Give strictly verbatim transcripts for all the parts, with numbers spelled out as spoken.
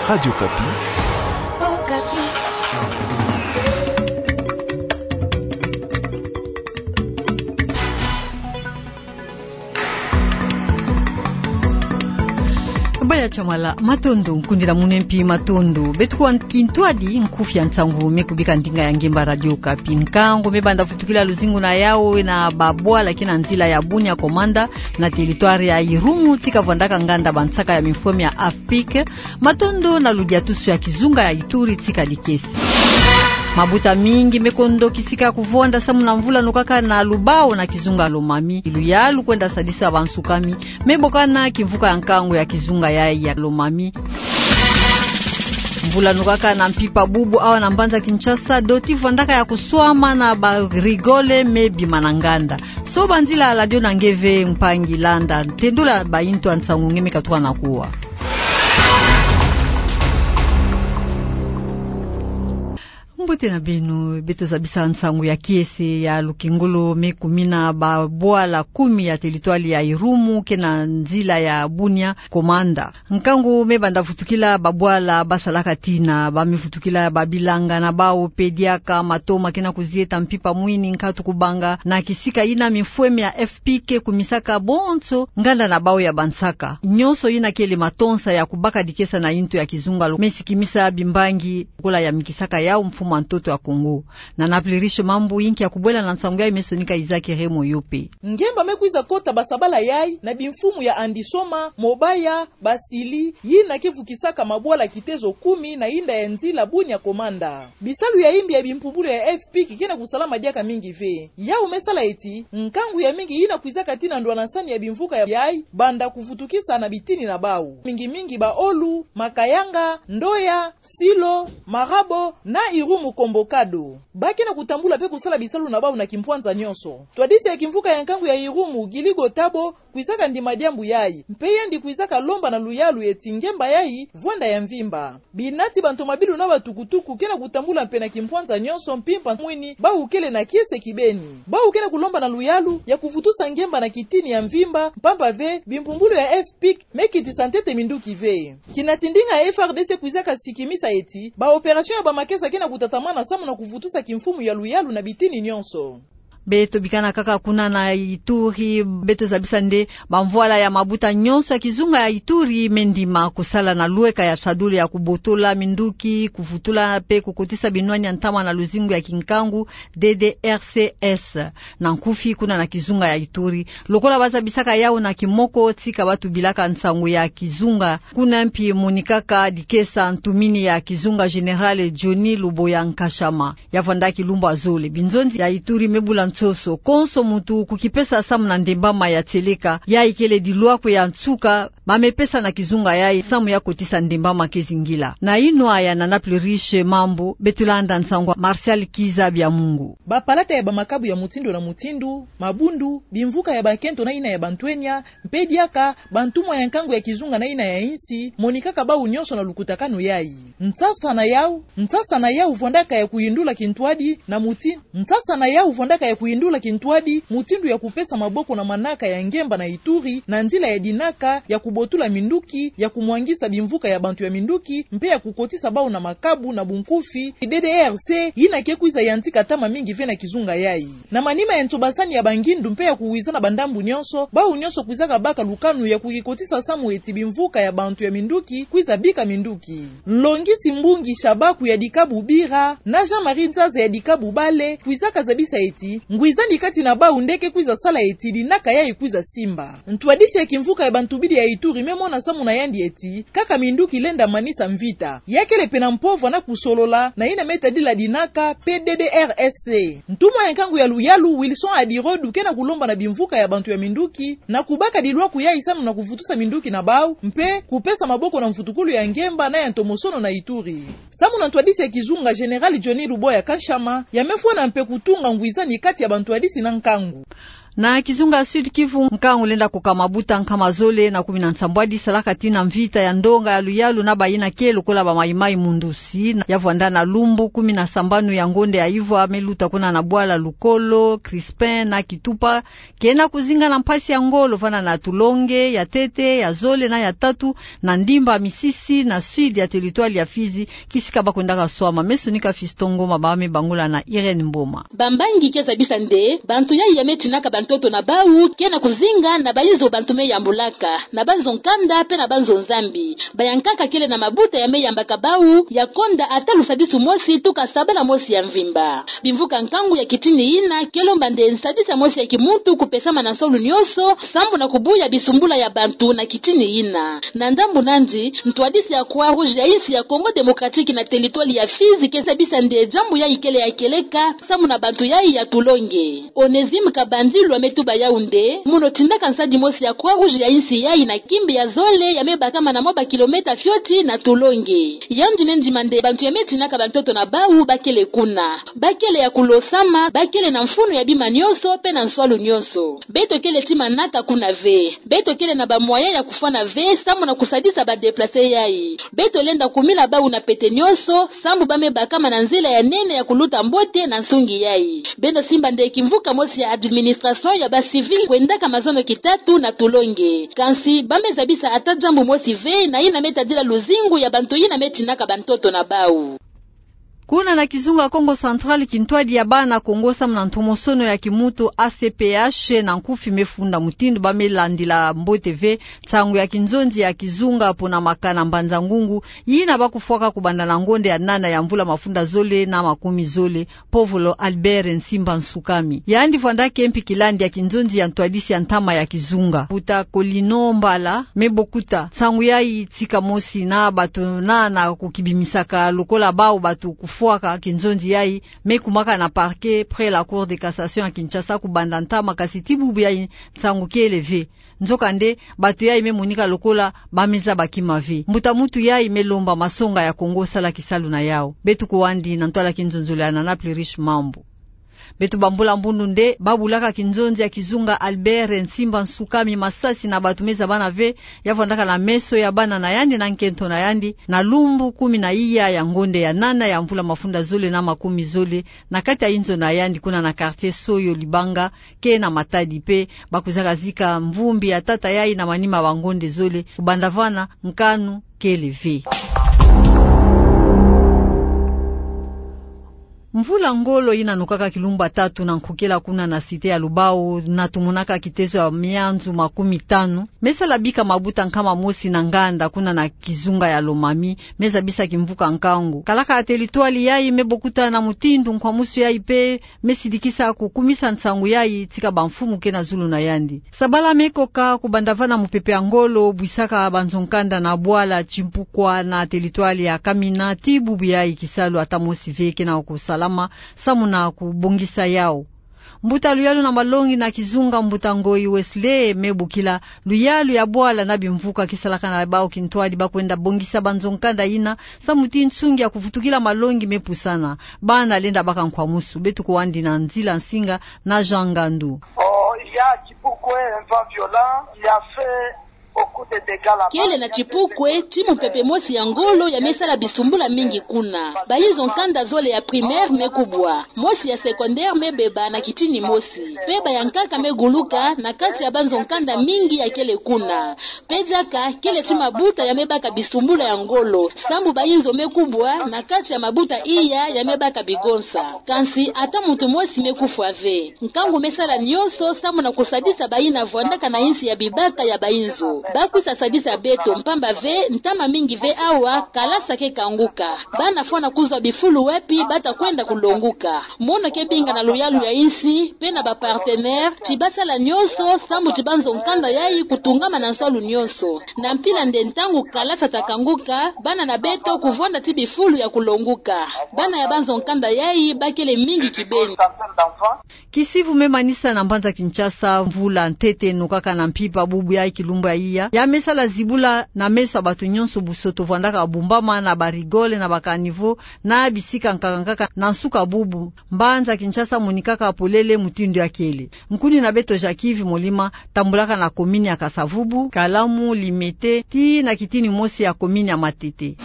Radio Okapi. Baya Chamala, matondo, nkundila muna mpi matondo. Beto kwa kintwadi nkufi ya nsangu me kubika ndinga ya ngemba Radio Okapi. Nkangu me banda vutukila luzingu na yawu na babwala ke na nzila ya Bunia Komanda, na territoire ya Irumu, tika vwandaka nganda bansaka ya mifweme ya AFPIC. Matondo na ludiatusu ya kizunga ya Ituri tika dikesi. Mabuta mingi me kondo kisika kuvonda samu na mvula nukaka na lubao na kizunga Lomami. Luyalu kwenda sadisa bansukami me bokana kimvuka ya nkangu ya kizunga yayi ya Lomami. Mvula nukaka na mpimpa bubu awa na mbanza Kinshasa, doti vwandaka ya kuswama na ba rigole me bima na nganda. Soba nzila la dio na nge ve mpangi landa, tendula ba intu ya nsangu nge me katuka na kuwa. Mbote na beno, beto zabisa nsangu ya kiese ya lukengolo me kumina babwala kumi ya territoire ya Irumu ke na nzila ya Bunia Komanda. Nkangu me banda vutukila babwala basalaka tina, ba me vutukila babilanga na bawu pe diaka matoma ke na kuzieta mpimpa mwini nkatu kubanga na kisika yina mifweme ya AFPIC kumisaka bonso nganda na bawu ya bansaka. Nyonso yina kele matonsa ya kubaka dikesa na intu ya kizunga lo me sikimisa bimbangi, kola ya mikisaka yawu mfumu a ntoto ya Kongo. Na Naples Riche Mambu, yinki ya kubwela na nsangu yayi me sonika Isaac Remo Yope. Ngemba me kwiza kota basabala yayi na bimfumu ya Andisoma, Mobaya, Basili, yina ke vukisaka mabwala kitezo kumi na yinda ya nzila Bunia Komanda. Bisalu ya yimbi ya bimpumbulu ya AFPIC ke na kusalama diaka mingi ve. Yawu me sala eti nkangu ya mingi yina kwizaka tina ndwanansani ya bimvuka ya, yayi banda kuvutukisa na bitini na bawu. Mingi mingi baOlu, Makayanga, Ndoya, Silo, Marabo, na Irumu Kombo Kado. Ba ke na kutambula pe kusala bisalu na bawu na kimpwanza nyonso. Ntwadisi ya kimvuka ya nkangu ya Irumu, Guilly Gotabo, kwizaka ndima diambu yayi. Mpe yandi kwizaka lomba na luyalu eti ngemba yayi vwanda ya mvimba. Binati ba ntomabilu na batukutuku ke na kutambula mpe na kimpwanza nyonso mpimpa mwini, bawu kele na kiese kibeni. Bawu ke na kulomba na luyalu ya kuvutusa ngemba na kitini ya mvimba, mpamba ve bimpumbulu ya AFPIC me kitisa ntete minduki ve. Kinati ndinga ya FRDC kwizaka sikimisa eti ba opération ya bamakesa ke na kutatamana samu na kuvutusa kimfumu ya luyalu na bitini nyonso. Beto bikana kaka kuna na Ituri, beto zabisa nde bamvwala ya mabuta nyonso ya kizunga ya Ituri me ndima kusala na lweka ya sadulu ya kubotola minduki, kuvutula mpe kukotisa binwani ya ntama na luzingu ya kinkangu, D D R C S. Na nkufi, kuna na kizunga ya Ituri, lokola ba zabisaka yawu na kimoko, tika ba tubilaka nsangu ya kizunga, kuna mpi monikaka dikesa ntumini ya kizunga Général Johnny Luboya Nkashama. Ya vwandaki lumbu ya zole, binzonzi ya Ituri me bula nsoso, konso muntu kukipesa samu na ndembama ya tieleka, yayi kele dilwakwe ya nsuka ba me pesa na kizunga yayi samu ya kotisa ndembama ke zingila. Na inwa ya na Naples Riche Mambu, beto landa nsangu ya Martial Kizabiamungu. Bapalata ya bamakabu ya mutindu na mutindu, mabundu, bimvuka ya bakento na yina ya bantwenya, mpe diaka bantumwa ya nkangu ya kizunga na yina ya insi, monikaka bawu nyonso na lukutakanu yayi. Nsasa na yawu, nsasa na yawu vwandaka ya kuyindula kintwadi na muti-, nsasa na yawu vwandaka ya kuyindula kintwadi mutindu ya kupesa maboko na manaka ya ngemba na Ituri na nzila ya dinaka ya kubotula minduki, ya kumwangisa bimvuka ya bantu ya minduki, mpe ya kukotisa bawu na makabu. Na bunkufi, D D R C yina ke kwiza yantika ntama mingi ve na kizunga yayi. Na manima ya nsobasani ya bangindu mpe ya kuwizana bandambu nyonso, bawu nyonso kwizaka baka lukanu ya kukikotisa samu eti bimvuka ya bantu ya minduki kwiza bika minduki. Nlongisi Mbungi Shabaku ya dikabu Bira na Jean-Marie Nzaza ya dikabu Bale kwizaka zabisa eti ngwizani kati na bawu nde ke kwiza sala eti dinaka yayi kwiza simba. Ntwadisi ya kimvuka ya bantubidi ya Ituri me mona samu na yandi eti kaka minduki lenda manisa mvita. Ya kele mpe na mpova na kusolola na yina me tadila dinaka mpe D D R S C. Ntumwa ya nkangu ya luyalu, Wilson Adirodu, ke na kulomba na bimvuka ya bantu ya minduki na kubaka dilwakwe yayi samu na kuvutusa minduki na bawu, mpe kupesa maboko na mvutukulu ya ngemba na ya ntomosono na Ituri. Samu na ntwadisi ya kizunga Général Johnny Luboya Nkashama, ya me fwana mpe kutunga ngwizani kati ya bantwadisi na nkangu. Na kizunga Sud-Kivu, nkangu lenda koka mabuta nkama zole na kumi na nsambwadi salaka tina mvita ya ndonga ya luyalu na bayina ke lokola ba Mai-Mai Mundusi, na ya vwanda na lumbu kumi na sambanu ya ngonde ya ivwa, me luta kuna na bwala Lukolo, Crispin na Kitupa, kena kuzinga na mpasi ya ngolo vana na Tulonge, ya tete, ya zole na ya tatu, na ndimba Misisi, na sud ya territoire ya Fizi, kisika ba kwendaka swama. Me sonika Fiston Ngoma, ba me bangula na Irène Mboma. Bambangi ke zabisa nde bantu yayi ya me tinaka bantoto na bau, kena kuzinga na bayizo bantu me yambulaka, na banzo nkanda pe na banzo nzambi. Bayankaka kele na mabuta ya me yambaka bau, ya konda ata lusadisu mosi tuka sabala mosi ya mvimba. Bimvuka nkangu ya kitini yina ke lomba nde nsadisa mosi ya kimuntu kupesama na nswalu nyonso, sambu na kubuya bisumbula ya bantu na kitini yina. Na ndambu nandi, ntwadisi ya Croix-Rouge ya insi ya Congo Démocratique na territoire ya Fizi ke zabisa nde diambu yayi kele ya kieleka, sambu na bantu yayi ya Tulonge. Onésime Kabandilu a me tuba yau nde, mono tindaka nsadi mosi ya Croix-Rouge ya insi yayi na kimbi ya zole ya me bakama na mwa ba kilomètre fioti na Tulonge. Yandi me ndima nde bantu ya me tinaka bantoto na bau ba kele kuna. Ba kele ya kulosama, ba kele na mfunu ya bima nyonso pe na nswalu nyonso. Beto kele ti manaka kuna ve. Beto kele na ba moyen ya kufwana ve, sambu na kusadisa ba déplacés yayi. Beto lenda kumila bau na pete nyonso, sambu ba me bakama na nzila ya nene ya kuluta mbote na nsungi yayi. Beno simba nde kimvuka mosi ya administration ya ba civils kwendaka mazono kitatu na Tulonge. Kansi ba me zabisa ata diambu mosi ve na yina me tadila luzingu ya bantu yina me tinaka bantoto na bau. Kuna na kizunga Kongo Central, kintwadi ya bana Kongo samu na ntomosono ya kimuntu A C P H na nkufi me funda mutindu ba me landila mbote ve nsangu ya kinzonzi ya kizunga pona makana Mbanza-Ngungu, yina ba kufwaka kubanda na ngonde ya nana ya mvula mafunda zole na makumi zole, Povolo Albert Nsimba Nsukami. Yandi vwandaka mpi kilandi ya kinzonzi ya ntwadisi ya ntama ya kizunga. Mbuta Colino Mbala me bokuta nsangu yayi tika mosi na bato na, na kukibimisaka lokola bau bato kufwaka kinzonzi yayi, me kumaka na parquet près la Cour de cassation ya Kinshasa kubanda ntama, kasi ti bubu yayi nsangu kele ve. Nzokande, bato yayi me monika lokola ba me zaba kima ve. Mbuta muntu yayi me lomba masonga ya Kongo sala kisalu na yau. Beto kuwandi na ntwala kinzonzolo ya Nana Plurish Mambu. Beto bambula mbundu nde ba bulaka kinzonzi ya kizunga Albert Nsimba Nsukami masasi na bato me zabana ve, ya vwandaka na meso ya bana na yandi na nkento na yandi, na lumbu kumi na iya ya ngonde ya nana ya mvula mafunda zole na makumi zole, na kati ya inzo na yandi kuna na quartier Soyo Libanga, ke na Matadi pe ba kwizaka zika mvumbi ya tata yayi na manima ba ngonde zole, kubanda vana nkanu kele ve. Mvula ngolo yina nokaka kilumbu tatu na nkokela kuna na cité ya Lubao, na tomonaka kitezo ya mianzu makumi tanu me sala bika mabuta nkama mosi na nganda kuna na kizunga ya Lomami, me zabisa kimvuka nkangu. Kalaka ya territoire yayi me bokuta na mutindu nkwamusu yayi pe me sidikisa kukumisa nsangu yayi tika bamfumu ke na zulu na yandi. Sabala me koka kubanda vana mupepe ya ngolo bwisaka banzo nkanda na bwala Chimpukwa na territoire ya Kamina, ti bubu yayi kisalu ata mosi ve ke na kusalama samu na kubongisa yau. Mbuta luyalu na malongi na kizunga, Mbuta Ngoyi Wesley, me bokila luyalu ya bwala na bimvuka ke salaka na bau kintwadi ba kwenda bongisa banzo nkanda yina, samu ti nsungi ya kuvutukila malongi me pusana. Bana lenda baka nkwamusu. Beto kuwandi na nzila nsinga na Jean Ngandu. Oh, il y a Chipukwe, un vent violent qui a fait beaucoup de dégâts là-bas. Kele na Chipukwe ti mupepe mosi ya ngolo ya me sala bisumbula mingi kuna. Bayizo nkanda zole ya primaire me kubwa, mosi ya secondaire me beba na kitini mosi, pe bayankaka me guluka na kati ya banzo nkanda mingi ya kele kuna. Pe diaka kele ti mabuta ya me baka bisumbula ya ngolo, samu bayinzo me kubwa na kati ya mabuta iya ya me baka bigonsa. Kansi ata muntu mosi me kufwa ve. Nkangu me sala nyonso samu na kusadisa bayina vwandaka na insi ya bibaka ya bayinzo. Ba kwisa sadisa beto, mpamba ve ntama mingi ve awa kalasa ke kanguka. Bana fwana kuzwa bifulu wapi ba ta kwenda kulonguka. Mono ke binga na luyalu ya insi pe na ba partenaires ti ba sala nyonso samu ti banzo nkanda yayi kutungama na nswalu nyonso. Na mpila nde ntangu kalasa ta kanguka, bana na beto kuvwanda ti bifulu ya kulonguka. Bana ya banzo nkanda yayi ba kele mingi kibeni. Kisivu me manisa na mbanza Kinshasa, mvula ntete nokaka na mpimpa bubu yayi kilumbu yayi. ya, ya me sala zibula na meso ya bato nyonso busoto vwandaka bumbama na ba rigole na ba caniveau na bisika nkaka nkaka na nsuka bubu. Mbanza Kinshasa monikaka polele mutindu ya kele. Nkuni na beto Jacques Yves Molima tambulaka na commune ya Kasa-Vubu, Kalamu, Limete, tii na kitini mosi ya commune ya Matete.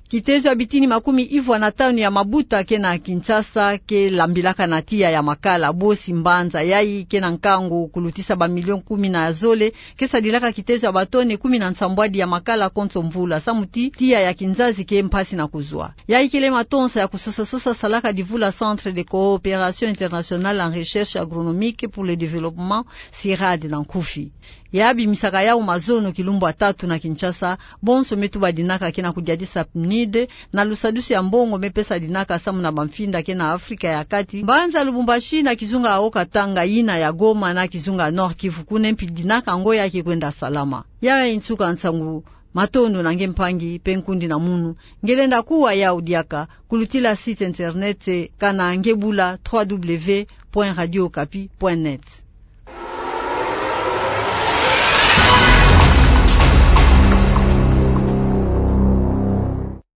Kitezo ya bitini makumi ivwa na tanu ya mabuta ke na Kinshasa ke lambilaka na tiya ya makala bosi mbanza yai ke na nkangu kulutisa ba million kumi na zole, ke sadilaka kitezo ya ba tonne kumi na nsambwadi ya makala konso mvula, samu ti tiya ya kinzazi ke mpasi na kuzwa. Yai kele matonsa ya kusosa-sosa salaka divula Centre de Coopération Internationale en Recherche Agronomique pour le Développement, CIRAD na nkufi. Ya bimisaka yau mazono kilumbu ya tatu na Kinshasa, bonso me tuba dinaka ke na kudiatisa PNUD na lusadusu ya mbongo me pesa dinaka samu na bamfinda ke na Afrika ya Kati, mbanza Lubumbashi na kizunga ya Haut-Katanga, yina ya Goma na kizunga ya Nord-Kivu, kuna mpi dinaka ngoya ke kwenda salama. Ya nsuka nsangu. Matondo na nge mpangi mpe nkundi na munu nge lenda kuwa yau diaka kulutila site internet kana nge bula trois W point radio okapi point net.